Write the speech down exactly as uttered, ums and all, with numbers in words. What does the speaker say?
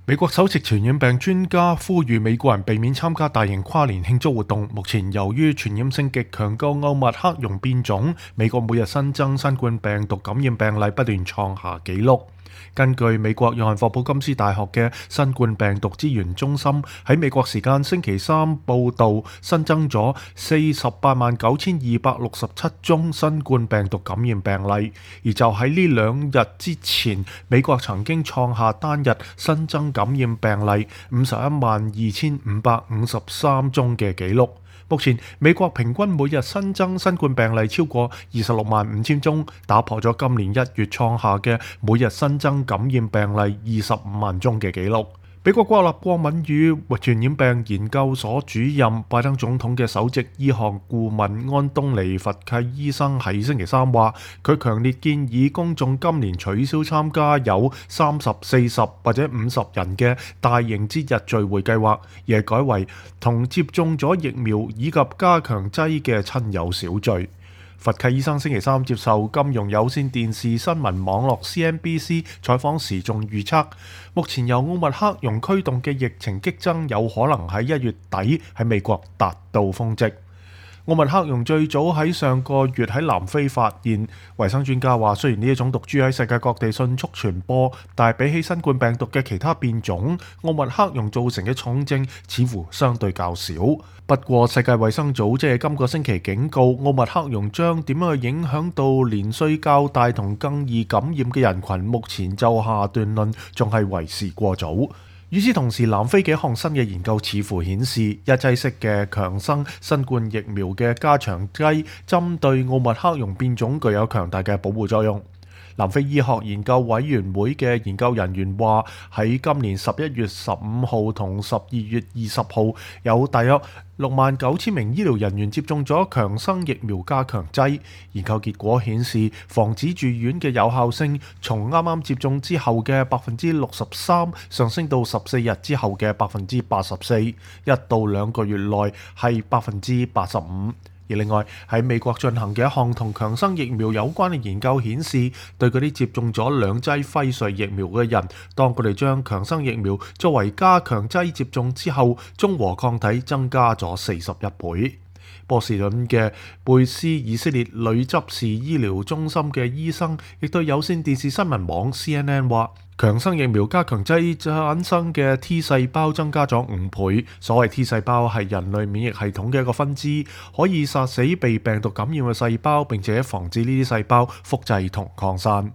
美國首席傳染病專家呼籲美國人避免參加大型跨年慶祝活動。目前由於傳染性極強嘅奧密克戎變種，美國每日新增新冠病毒感染病例不斷創下紀錄。根據美國約翰霍普金斯大學嘅新冠病毒資源中心喺美國時間星期三報導，新增咗四十八萬九千二百六十七宗新冠病毒感染病例，而就喺呢兩日之前，美國曾經創下單日新增感染病例五十一萬二千五百五十三宗嘅紀錄。目前美國平均每日新增新冠病例超過二十六萬五千宗，打破咗今年一月創下嘅每日新增感染病例二十五萬宗嘅紀錄。美國國立過敏與傳染病研究所主任、拜登總統嘅首席醫學顧問安東尼·佛契醫生喺星期三話，佢強烈建議公眾今年取消參加有三十、四十或者五十人嘅大型節日聚會計劃，而係改為同接種咗疫苗以及加強劑嘅親友小聚。佛契醫生星期三接受金融有線電視新聞網絡 C N B C 採訪時仲預測，目前由奧密克戎驅動嘅疫情激增有可能喺一月底喺美國達到峰值。奧密克戎最早喺上個月喺南非發現，衛生專家話雖然呢一種毒株喺世界各地迅速傳播，但係比起新冠病毒嘅其他變種，奧密克戎造成嘅重症似乎相對較少。不過世界衛生組織喺今個星期警告，奧密克戎將點樣去影響到年歲較大同更易感染嘅人群，目前就下斷論仲係為時過早。與此同時，南非嘅一項新嘅研究似乎顯示，一劑式嘅強生新冠疫苗嘅加強劑針對奧密克戎變種具有強大嘅保護作用。南非醫學研究委員會嘅研究人員話，喺今年十一月十五號同十二月二十號，有大約六萬九千名醫療人員接種咗強生疫苗加強劑。研究結果顯示，防止住院嘅有效性從啱啱接種之後嘅百分之六十三上升到十四日之後嘅百分之八十四，一到兩個月內係百分之八十五。而另外喺美國進行嘅一項同強生疫苗有關嘅研究顯示，對嗰啲接種咗兩劑輝瑞疫苗嘅人，當佢哋將強生疫苗作為加強劑接種之後，中和抗體增加咗四十一倍。波士頓嘅貝斯以色列女執事醫療中心嘅醫生亦對有線電視新聞網 C N N 話，強生疫苗加強劑產生嘅 T 細胞增加咗五倍。所謂 T 細胞係人類免疫系統嘅一個分支，可以殺死被病毒感染嘅細胞，並且防止呢啲細胞複製同擴散。